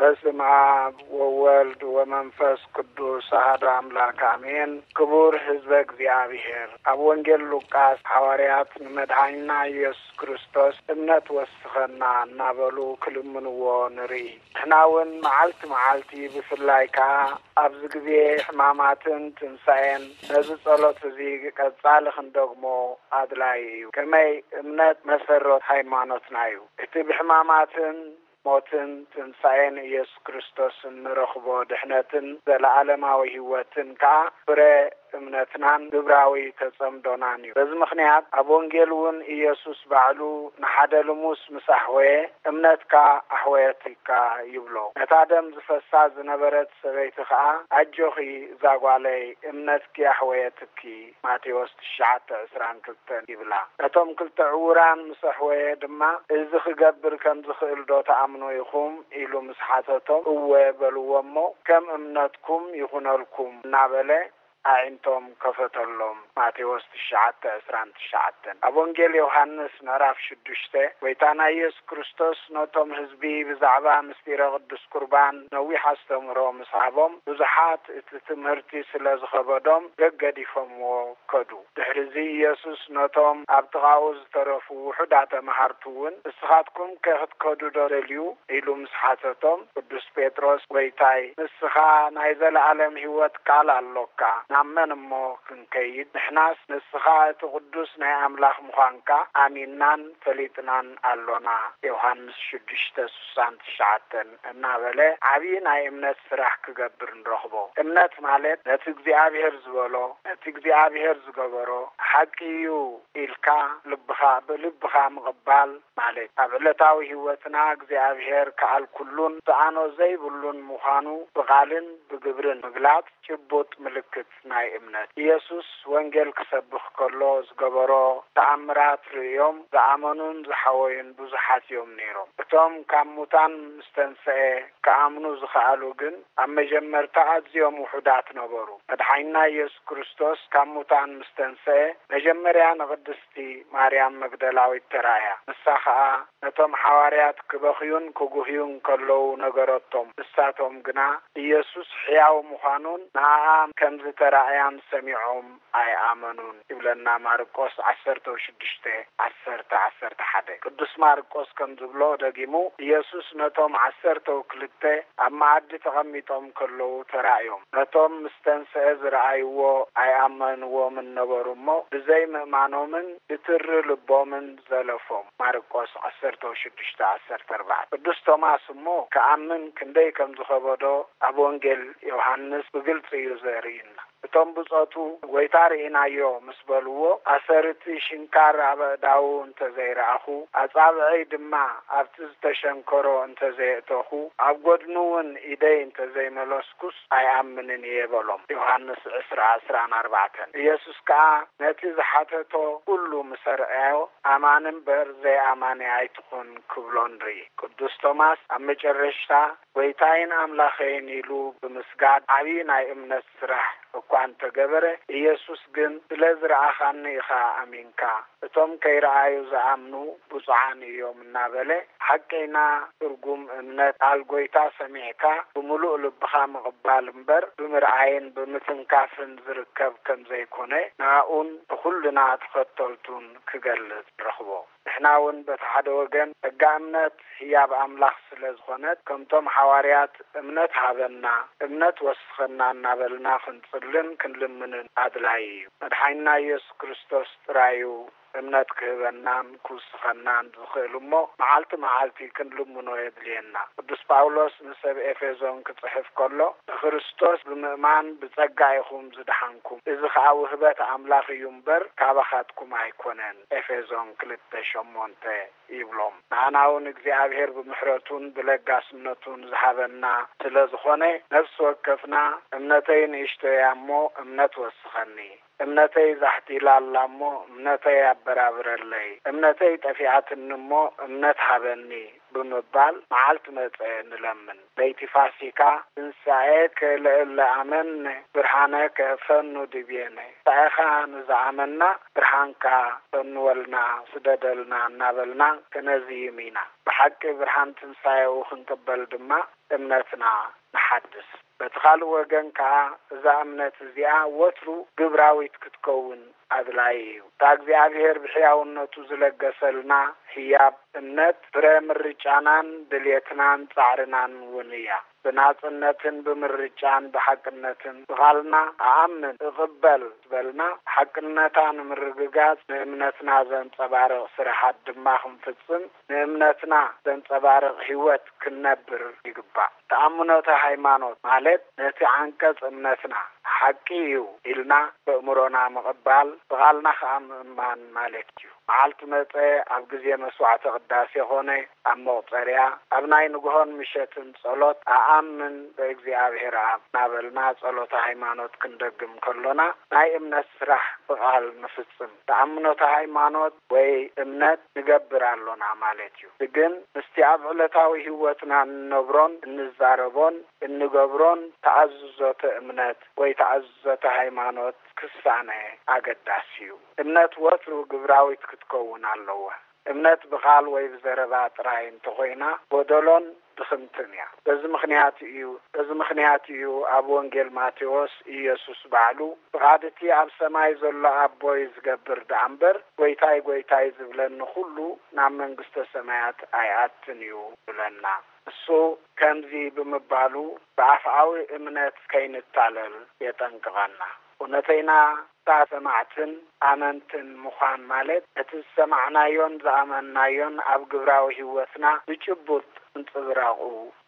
በስመ አብ ወወልድ ወመንፈስ ቅዱስ አሐዱ አምላክ አሜን። ክቡር ህዝበ እግዚኣብሔር፣ ኣብ ወንጌል ሉቃስ ሓዋርያት ንመድኃኒና ኢየሱስ ክርስቶስ እምነት ወስኸና እናበሉ ክልምንዎ ንርኢ። ንሕና እውን መዓልቲ መዓልቲ ብፍላይ ከኣ ኣብዚ ግዜ ሕማማትን ትንሳኤን ነዚ ጸሎት እዚ ቀጻሊ ክንደግሞ ኣድላዪ እዩ። ከመይ እምነት መሰረት ሃይማኖትና እዩ። እቲ ብሕማማትን ሞትን ትንሳኤን ኢየሱስ ክርስቶስን ንረኽቦ ድሕነትን ዘለዓለማዊ ህይወትን ከኣ ፍረ እምነትናን ግብራዊ ተጸምዶናን እዩ። በዚ ምኽንያት ኣብ ወንጌል እውን ኢየሱስ ባዕሉ ንሓደ ልሙስ ምስ ኣሕወየ፣ እምነትካ ኣሕወየትካ ይብሎ። ነታ ደም ዝፈሳ ዝነበረት ሰበይቲ ከኣ፣ ኣጆኺ እዛ ጓለይ፣ እምነትኪ ኣሕወየትኪ፣ ማቴዎስ ትሽዓተ ዕስራን ክልተን ይብላ። ነቶም ክልተ ዕውራን ምስ ኣሕወየ ድማ፣ እዚ ክገብር ከም ዝኽእል ዶ ትኣምኑ ኢኹም? ኢሉ ምስ ሓተቶም፣ እወ በልዎ እሞ፣ ከም እምነትኩም ይኹነልኩም እናበለ ኣዒንቶም ከፈተሎም። ማቴዎስ ትሽዓተ ዕስራን ትሽዓተን። ኣብ ወንጌል ዮሃንስ ምዕራፍ ሽዱሽተ፣ ጎይታና ኢየሱስ ክርስቶስ ነቶም ህዝቢ ብዛዕባ ምስጢረ ቅዱስ ቁርባን ነዊሕ ኣስተምህሮ ምስ ሃቦም፣ ብዙሓት እቲ ትምህርቲ ስለ ዝኸበዶም ገገዲፎምዎ ከዱ። ድሕርዚ ኢየሱስ ነቶም ኣብ ጥቓኡ ዝተረፉ ውሑዳት ተመሃርቱ እውን፣ ንስኻትኩም ከ ክትከዱ ዶ ደልዩ? ኢሉ ምስ ሓተቶም፣ ቅዱስ ጴጥሮስ፣ ጎይታይ፣ ንስኻ ናይ ዘለኣለም ህይወት ቃል ኣሎካ፣ ናብ መን እሞ ክንከይድ? ንሕናስ ንስኻ እቲ ቅዱስ ናይ ኣምላኽ ምዃንካ ኣሚንናን ፈሊጥናን ኣሎና። ዮሃንስ ሽዱሽተ ስሳን ትሽዓተን እናበለ ዓብዪ ናይ እምነት ስራሕ ክገብር ንረኽቦ። እምነት ማለት ነቲ እግዚኣብሔር ዝበሎ፣ ነቲ እግዚኣብሔር ዝገበሮ፣ ሓቂ እዩ ኢልካ ልብኻ፣ ብልብኻ ምቕባል ማለት፣ ኣብ ዕለታዊ ህይወትና እግዚኣብሔር ከኣል ኩሉን ዝኣኖ ዘይብሉን ምዃኑ ብቓልን ብግብርን ምግላጽ ጭቡጥ ምልክት ናይ እምነት። ኢየሱስ ወንጌል ክሰብኽ ከሎ ዝገበሮ ተኣምራት ርእዮም ዝኣመኑን ዝሓወዩን ብዙሓት እዮም ነይሮም። እቶም ካብ ሙታን ምስ ተንስኤ ክኣምኑ ዝኸኣሉ ግን ኣብ መጀመርታ ኣዝዮም ውሑዳት ነበሩ። መድሓኒና ኢየሱስ ክርስቶስ ካብ ሙታን ምስ ተንስኤ መጀመርያ ንቅድስቲ ማርያም መግደላዊት ተራእያ። ንሳ ኸኣ ነቶም ሓዋርያት ክበኽዩን ክጉህዩን ከለዉ ነገረቶም። ንሳቶም ግና ኢየሱስ ሕያው ምዃኑን ንኣኣ ከም ዝተራእያን ሰሚዖም ኣይኣመኑን ይብለና ማርቆስ ዓሰርተ ሽዱሽተ፣ ዓሰርተ፣ ዓሰርተ ሓደ። ቅዱስ ማርቆስ ከም ዝብሎ ደጊሙ፣ ኢየሱስ ነቶም ዓሰርተው ክልተ ኣብ መኣዲ ተቐሚጦም ከለዉ ተራእዮም። ነቶም ምስ ተንስአ ዝረኣይዎ ኣይኣመንዎምን ነበሩ እሞ፣ ብዘይምእማኖምን ብትሪ ልቦምን ዘለፎም። ማርቆስ ዓሰርተ ሽዱሽተ፣ ዓሰርተ ኣርባዕተ። ቅዱስ ቶማስ እሞ ክኣምን ክንደይ ከም ዝኸበዶ ኣብ ወንጌል ዮሃንስ ብግልጺ እዩ ዘርእየና። እቶም ብጾቱ፣ "ጐይታ ርኢናዮ" ምስ በልዎ፣ ኣሰር እቲ ሽንካር ኣብ ኣእዳዉ እንተ ዘይረኣኹ፣ ኣጻብዐይ ድማ ኣብቲ ዝተሸንከሮ እንተ ዘየእተኹ፣ ኣብ ጐድኑ እውን ኢደይ እንተ ዘይመለስኩስ ኣይኣምንን እየ በሎም። ዮሃንስ ዕስራ፣ ዕስራን ኣርባዕተን። ኢየሱስ ከኣ ነቲ ዝሓተቶ ኩሉ ምስ ኣርኣዮ፣ "ኣማኒ እምበር ዘይኣማኒ ኣይትኹን" ክብሎ ንርኢ። ቅዱስ ቶማስ ኣብ መጨረሽታ "ጐይታይን ኣምላኸይን" ኢሉ ብምስጋድ ዓብዪ ናይ እምነት ስራሕ እኳ እንተገበረ፣ ኢየሱስ ግን "ስለ ዝረኣኻኒ ኢኻ ኣሚንካ፣ እቶም ከይረኣዩ ዝኣምኑ ብፁዓን እዮም" እናበለ፣ ሓቀይና ትርጉም እምነት ቃል ጐይታ ሰሚዕካ ብምሉእ ልብኻ ምቕባል እምበር ብምርኣይን ብምትንካፍን ዝርከብ ከም ዘይኮነ ንኣኡን ንኹልና ተኸተልቱን ክገልጽ ንረኽቦ። ንሕና እውን በቲ ሓደ ወገን ጸጋ እምነት ህያብ ኣምላኽ ስለ ዝኾነት፣ ከምቶም ሓዋርያት "እምነት ሃበና፣ እምነት ወስኸና" እናበልና ክንጽልን ክንልምንን ኣድላዪ እዩ። መድሓኒና ኢየሱስ ክርስቶስ ጥራይ እዩ እምነት ክህበናን ክውስኸናን ዝኽእል እሞ፣ መዓልቲ መዓልቲ ክንልምኖ የድልየና። ቅዱስ ጳውሎስ ንሰብ ኤፌሶን ክጽሕፍ ከሎ፣ "ንክርስቶስ ብምእማን ብጸጋ ኢኹም ዝደሓንኩም፣ እዚ ኸኣ ውህበት ኣምላኽ እዩ እምበር፣ ካባኻትኩም ኣይኮነን።" ኤፌሶን ክልተ ሸሞንተ። ይብሎም። ንኣና እውን እግዚኣብሔር ብምሕረቱን ብለጋስነቱን ዝሃበና ስለ ዝኾነ፣ ነፍሲ ወከፍና፣ "እምነተይ ንእሽቶ እያ እሞ፣ እምነት ወስኸኒ፣ እምነተይ ዛሕቲላ ኣላ እሞ፣ እምነተይ ኣበራብረለይ፣ እምነተይ ጠፊኣትኒ እሞ፣ እምነት ሃበኒ" ብምባል መዓልቲ መጸ ንለምን። ለይቲ ፋሲካ፣ ትንሳኤከ ለእለ አመነ ብርሃነከ ፈኑ ዲቤነ። ትንሳኤኻ ንዝኣመና ብርሃንካ ፈንወልና፣ ስደደልና እናበልና ከነዝይም ኢና። ብሓቂ ብርሃን ትንሳኤኡ ክንቅበል ድማ እምነትና ንሓድስ። በቲ ካልእ ወገን ከኣ እዛ እምነት እዚኣ ወትሩ ግብራዊት ክትከውን ኣድላዪ እዩ። እታ እግዚኣብሔር ብሕያውነቱ ዝለገሰልና ህያብ እምነት ፍረ ምርጫናን ድልየትናን ጻዕርናን እውን እያ። ብናጽነትን ብምርጫን ብሓቅነትን ብቓልና እኣምን እቕበል ዝበልና ሓቅነታ ንምርግጋጽ ንእምነትና ዘንጸባርቕ ስራሓት ድማ ክንፍጽም ንእምነትና ዘንጸባርቕ ህይወት ክንነብር ይግባእ። ተኣምኖተ ሃይማኖት ማለት ነቲ ዓንቀጽ እምነትና ሓቂ እዩ ኢልና በእምሮና ምቕባል ብቓልና ኸኣ ምእማን ማለት እዩ። መዓልቲ መጸ ኣብ ግዜ መስዋዕተ ቅዳሴ ኾነ ኣብ መቑጸርያ ኣብ ናይ ንግሆን ምሸትን ጸሎት ኣኣምን በእግዚኣብሔር ኣብ እናበልና ጸሎተ ሃይማኖት ክንደግም ከሎና ናይ እምነት ስራሕ ብቓል ንፍጽም። ተኣምኖተ ሃይማኖት ወይ እምነት ንገብር ኣሎና ማለት እዩ። ግን ምስቲ ኣብ ዕለታዊ ህይወትና እንነብሮን እንዛረቦን እንገብሮን ተኣዝዞተ እምነት ወይ ተኣዝዞተ ሃይማኖት ክሳነ ኣገዳሲ እዩ። እምነት ወትሩ ግብራዊት ክትከውን ኣለዋ። እምነት ብቓል ወይ ብዘረባ ጥራይ እንተኾይና ጎደሎን ድኽምትን እያ። በዚ ምኽንያት እዩ በዚ ምኽንያት እዩ ኣብ ወንጌል ማቴዎስ ኢየሱስ ባዕሉ ፍቓድ እቲ ኣብ ሰማይ ዘሎ ኣቦይ ዝገብር ደኣ እምበር ጎይታይ ጎይታይ ዝብለኒ ኩሉ ናብ መንግስተ ሰማያት ኣይኣትን እዩ ይብለና። እሱ ከምዚ ብምባሉ ብኣፍኣዊ እምነት ከይንታለል የጠንቅቐና። እውነተይና እታ ሰማዕትን ኣመንትን ምዃን ማለት እቲ ዝሰማዕናዮን ዝኣመንናዮን ኣብ ግብራዊ ህይወትና ብጭቡጥ ምንጽብራቑ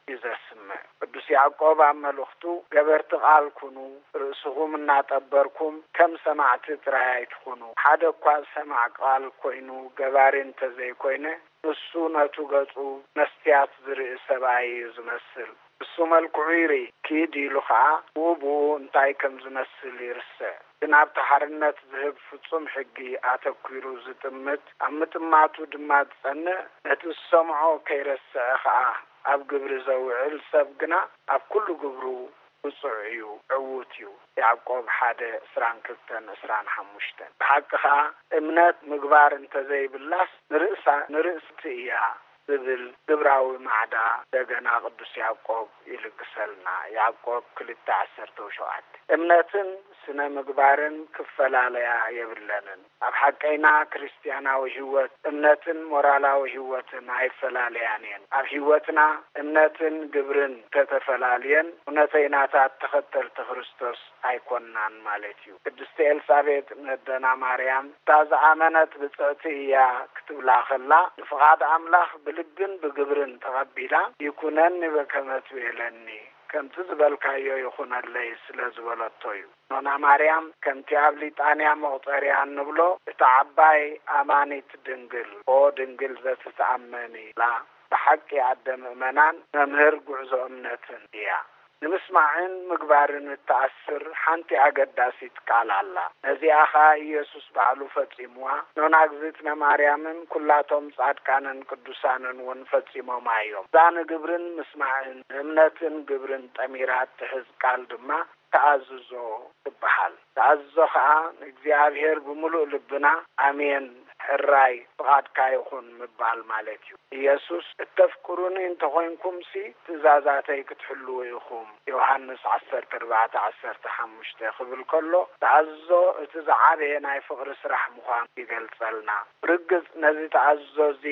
እዩ ዘስምዕ። ቅዱስ ያዕቆብ ኣብ መልእኽቱ ገበርቲ ቃል ኩኑ፣ ርእስኹም እናጠበርኩም ከም ሰማዕቲ ጥራይ ኣይትኹኑ። ሓደ እኳ ሰማዕ ቃል ኮይኑ ገባሪ እንተዘይኮይነ ንሱ ነቱ ገጹ መስትያት ዝርኢ ሰብኣይ እዩ ዝመስል። እሱ መልክዑ ይርኢ፣ ኪድ ኢሉ ኸኣ ብኡ ብኡ እንታይ ከም ዝመስል ይርስዕ። ግን ኣብቲ ሓርነት ዝህብ ፍጹም ሕጊ ኣተኲሩ ዝጥምት፣ ኣብ ምጥማቱ ድማ ዝጸንዕ፣ ነቲ ዝሰምዖ ከይረስዐ ኸኣ ኣብ ግብሪ ዘውዕል ሰብ ግና ኣብ ኩሉ ግብሩ ብጹዕ እዩ፣ ዕዉት እዩ። ያዕቆብ ሓደ ዕስራን ክልተን ዕስራን ሓሙሽተን። ብሓቂ ኸኣ እምነት ምግባር እንተዘይብላስ ንርእሳ ንርእስቲ እያ ዝብል ግብራዊ ማዕዳ ደገና ቅዱስ ያዕቆብ ይልግሰልና። ያዕቆብ ክልተ ዓሰርተ ሸውዓተ። እምነትን ስነ ምግባርን ክፈላለያ የብለንን። ኣብ ሓቀይና ክርስትያናዊ ህይወት እምነትን ሞራላዊ ህይወትን ኣይፈላለያን እየን። ኣብ ህይወትና እምነትን ግብርን እንተተፈላልየን እውነተይናታት ተኸተልቲ ክርስቶስ ኣይኮንናን ማለት እዩ። ቅድስቲ ኤልሳቤጥ ነደና ማርያም እታ ዝኣመነት ብጽዕቲ እያ ክትብላ ከላ ንፍቓድ ኣምላኽ ብልብን ብግብርን ተቐቢላ ይኩነኒ በከመ ትቤለኒ ከምቲ ዝበልካዮ ይኹነለይ ስለ ዝበለቶ እዩ። ኖና ማርያም ከምቲ ኣብ ሊጣንያ መቑጸርያ እንብሎ እታ ዓባይ ኣማኒት ድንግል ኦ ድንግል ዘትትኣመኒ ኢላ ብሓቂ ኣደ ምእመናን መምህር ጉዕዞ እምነትን እያ። ንምስማዕን ምግባርን እትኣስር ሓንቲ ኣገዳሲት ቃል ኣላ። ነዚኣ ኸኣ ኢየሱስ ባዕሉ ፈጺምዋ፣ ኖና እግዝእትነ ማርያምን ኩላቶም ጻድቃንን ቅዱሳንን እውን ፈጺሞማ እዮም። እዛ ንግብርን ምስማዕን ንእምነትን ግብርን ጠሚራ እትሕዝ ቃል ድማ ተኣዝዞ ትበሃል። ተኣዝዞ ኸኣ ንእግዚኣብሔር ብምሉእ ልብና ኣሜን፣ ሕራይ፣ ፍቓድካ ይኹን ምባል ማለት እዩ። ኢየሱስ እተፍቅሩኒ እንተኾይንኩምሲ ትእዛዛተይ ክትሕልዉ ኢኹም፣ ዮሃንስ ዓሰርተ ኣርባዕተ ዓሰርተ ሓሙሽተ ክብል ከሎ ተኣዝዞ እቲ ዝዓበየ ናይ ፍቕሪ ስራሕ ምዃኑ ይገልጸልና። ብርግጽ ነዚ ተኣዝዞ እዚ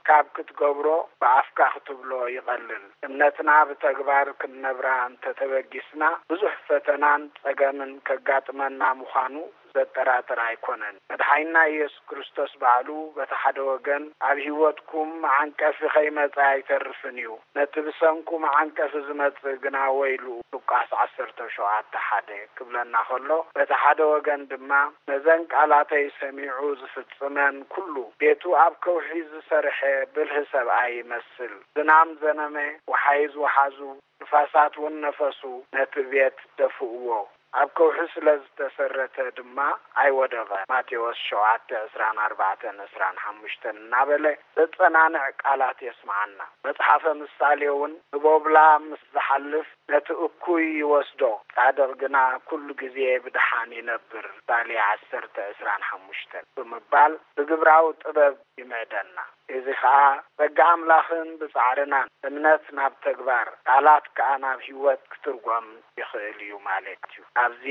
ካብ ክትገብሮ ብኣፍካ ክትብሎ ይቐልል። እምነትና ብተግባር ክንነብራ እንተተበጊስና ብዙሕ ፈተናን ጸገምን ከጋጥመና ምዃኑ ዘጠራጥር ኣይኮነን። መድሓኒና ኢየሱስ ክርስቶስ ባዕሉ በቲ ሓደ ወገን ኣብ ህይወትኩም መዓንቀፊ ከይመጸ ኣይተርፍን እዩ፣ ነቲ ብሰንኩ መዓንቀፊ ዝመጽእ ግና ወይሉ ሉቃስ ዓሰርተ ሸውዓተ ሓደ ክብለና ከሎ በቲ ሓደ ወገን ድማ ነዘን ቃላተይ ሰሚዑ ዝፍጽመን ኩሉ ቤቱ ኣብ ከውሒ ዝሰርሐ ብልህ ሰብኣይ ይመስል። ዝናም ዘነመ፣ ወሓይዝ ወሓዙ፣ ንፋሳት እውን ነፈሱ፣ ነቲ ቤት ደፍእዎ። ኣብ ከውሒ ስለ ዝተሰረተ ድማ ኣይወደቐን። ማቴዎስ ሸውዓተ ዕስራን ኣርባዕተን ዕስራን ሓሙሽተን እናበለ ዘጸናንዕ ቃላት የስምዓና። መጽሓፈ ምሳሌ እውን ንቦብላ ምስ ዝሓልፍ ነቲ እኩይ ይወስዶ፣ ጻድቕ ግና ኩሉ ግዜ ብደሓን ይነብር። ምሳሌ ዓሰርተ ዕስራን ሓሙሽተን ብምባል ብግብራዊ ጥበብ ይምዕደና። እዚ ኸኣ ጸጋ ኣምላኽን ብጻዕርናን እምነት ናብ ተግባር፣ ቃላት ከኣ ናብ ህይወት ክትርጎም ይኽእል እዩ ማለት እዩ። ኣብዚ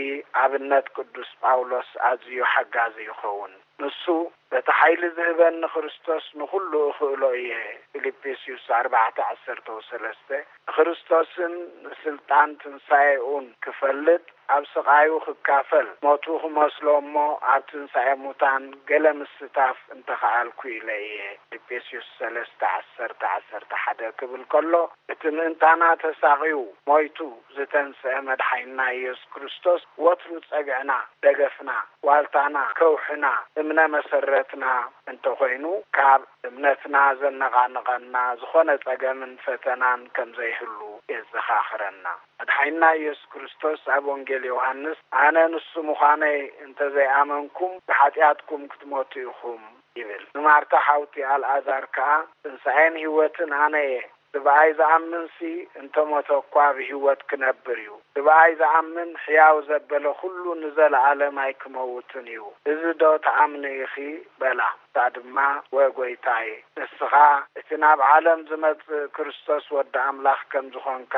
ኣብነት ቅዱስ ጳውሎስ ኣዝዩ ሓጋዚ ይኸውን። ንሱ፣ "በቲ ሓይሊ ዝህበኒ ክርስቶስ ንኹሉ እኽእሎ እየ" ፊልጵስዩስ ኣርባዕተ ዓሰርተ ወሰለስተ፣ ንክርስቶስን ንስልጣን ትንሳኤኡን ክፈልጥ፣ ኣብ ስቓዩ ክካፈል፣ ሞቱ ክመስሎ እሞ ኣብ ትንሳኤ ሙታን ገለ ምስታፍ እንተኸኣልኩ ኢለ እየ ፊልጵስዩስ ሰለስተ ዓሰርተ ዓሰርተ ሓደ ክብል ከሎ፣ እቲ ምእንታና ተሳቒዩ ሞይቱ ዝተንስአ መድሓኒና ኢየሱስ ክርስቶስ ወትሩ ጸግዕና፣ ደገፍና፣ ዋልታና፣ ከውሕና፣ እምነ መሰረትና እንተኾይኑ፣ ካብ እምነትና ዘነቓንቐና ዝኾነ ጸገምን ፈተናን ከም ዘይህሉ የዘኻኽረና። መድሓኒና ኢየሱስ ክርስቶስ ኣብ ወንጌል ዮሃንስ፣ "ኣነ ንሱ ምዃነይ እንተ ዘይኣመንኩም ብሓጢኣትኩም ክትሞቱ ኢኹም" ይብል። ንማርታ ሓውቲ ኣልኣዛር ከኣ፣ "ትንሳኤን ህይወትን ኣነ እየ፣ ብኣይ ዝኣምንሲ እንተ ሞተ እኳ ብህይወት ክነብር እዩ፣ ብኣይ ዝኣምን ሕያው ዘበለ ኩሉ ንዘለኣለም ኣይክመውትን እዩ። እዚ ዶ ትኣምኒ ኢኺ?" በላ። እሳ ድማ፣ "ወ ጎይታይ፣ ንስኻ እቲ ናብ ዓለም ዝመጽእ ክርስቶስ ወዲ ኣምላኽ ከም ዝኾንካ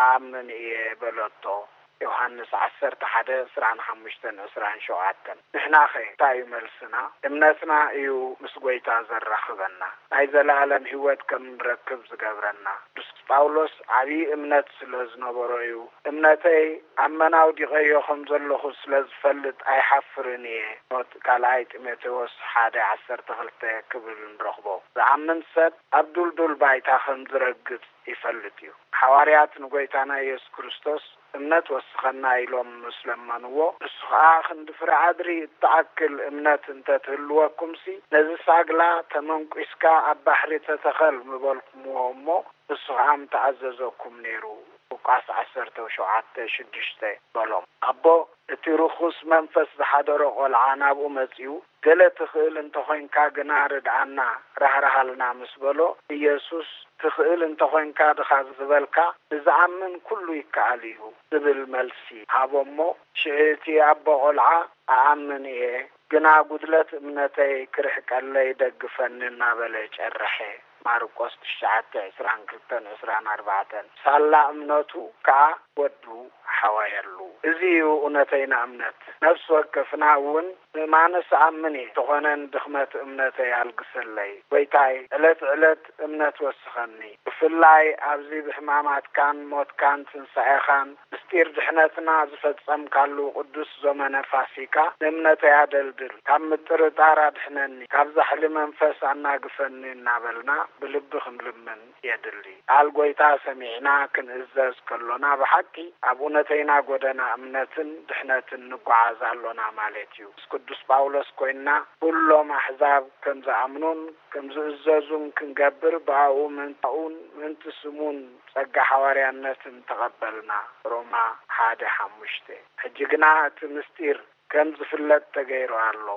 ኣኣምን እየ" በለቶ። ዮሃንስ ዓሰርተ ሓደ ዕስራን ሓሙሽተን ዕስራን ሸውዓተን። ንሕናኸ እንታይ እዩ መልስና? እምነትና እዩ ምስ ጎይታ ዘራኽበና፣ ናይ ዘለኣለም ህይወት ከም ንረክብ ዝገብረና። ቅዱስ ጳውሎስ ዓብዪ እምነት ስለ ዝነበሮ እዩ፣ "እምነተይ ኣብ መን ኣውዲቐዮ ከም ዘለኹ ስለ ዝፈልጥ ኣይሓፍርን እየ" ኖት ካልኣይ ጢሞቴዎስ ሓደ ዓሰርተ ክልተ ክብል ንረኽቦ። ዝኣምን ሰብ ኣብ ዱልዱል ባይታ ከም ዝረግጽ ይፈልጥ እዩ። ሓዋርያት ንጎይታና ኢየሱስ ክርስቶስ "እምነት ወስኸና" ኢሎም ምስ ለመንዎ፣ ንሱ ኸኣ "ክንዲ ፍረ ኣድሪ እትኣክል እምነት እንተ ትህልወኩምሲ፣ ነዚ ሳግላ ተመንኲስካ ኣብ ባሕሪ ተተኸል ምበልኩምዎ እሞ፣ ንሱ ኸኣ ምተኣዘዘኩም ነይሩ" ሉቃስ ዓሰርተ ሸውዓተ ሽዱሽተ በሎም። ኣቦ እቲ ርኹስ መንፈስ ዝሓደሮ ቖልዓ ናብኡ መጺኡ፣ "ገለ ትኽእል እንተኾይንካ ግና ርድኣና፣ ራህርሃልና" ምስ በሎ፣ ኢየሱስ "ትኽእል እንተኾይንካ ድኻ ዝበልካ፣ ንዝኣምን ኩሉ ይከኣል እዩ" ዝብል መልሲ ሃቦ እሞ፣ ሽዑ እቲ ኣቦ ቖልዓ "እኣምን እየ፣ ግና ጉድለት እምነተይ ክርሕቀለይ ደግፈኒ" እናበለ ጨረሐ። ማርቆስ ትሽዓተ ዕስራን ክልተን ዕስራን ኣርባዕተን። ሳላ እምነቱ ከኣ ወዱ ሓወየሉ። እዚ እዩ እውነተይና እምነት። ነፍሲ ወከፍና እውን "ምእማንስ እኣምን እየ፣ እንተኾነ ንድኽመት እምነተይ ኣልግሰለይ። ጎይታይ፣ ዕለት ዕለት እምነት ወስኸኒ። ብፍላይ ኣብዚ ብሕማማትካን ሞትካን ትንሳኤኻን ምስጢር ድሕነትና ዝፈጸምካሉ ቅዱስ ዘመነ ፋሲካ ንእምነተይ ኣደልድል። ካብ ምጥርጣር ኣድሕነኒ፣ ካብ ዛሕሊ መንፈስ ኣናግፈኒ" እናበልና ብልቢ ክንልምን የድሊ። ቃል ጎይታ ሰሚዕና ክንእዘዝ ከሎና፣ ብሓቂ ኣብ እውነተይና ጎደና እምነትን ድሕነትን ንጓዓዝ ኣሎና ማለት እዩ። ምስ ቅዱስ ጳውሎስ ኮይንና፣ ኩሎም ኣሕዛብ ከም ዝኣምኑን ከም ዝእዘዙን ክንገብር፣ ብኣኡ ምእንታኡን ምእንቲ ስሙን ጸጋ ሓዋርያነትን ተቐበልና። ሮማ ሓደ ሓሙሽተ። ሕጂ ግና እቲ ምስጢር ከም ዝፍለጥ ተገይሩ ኣሎ።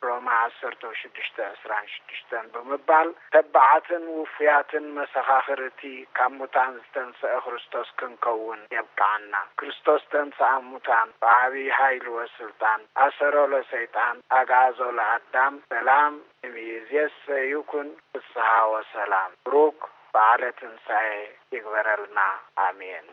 ሮማ ዓሰርተ ሽዱሽተ ዕስራን ሽዱሽተን ብምባል፣ ተባዓትን ውፉያትን መሰኻኽር እቲ ካብ ሙታን ዝተንስአ ክርስቶስ ክንከውን የብቅዓና። ክርስቶስ ተንስኣ ሙታን፣ ብዓብዪ ሓይሊ ወስልጣን፣ ኣሰሮ ለሰይጣን፣ ኣግዓዞ ለኣዳም። ሰላም እምይእዜሰ ይኩን፣ ፍስሃ ወሰላም። ብሩክ በዓለ ትንሳኤ ይግበረልና። ኣሜን።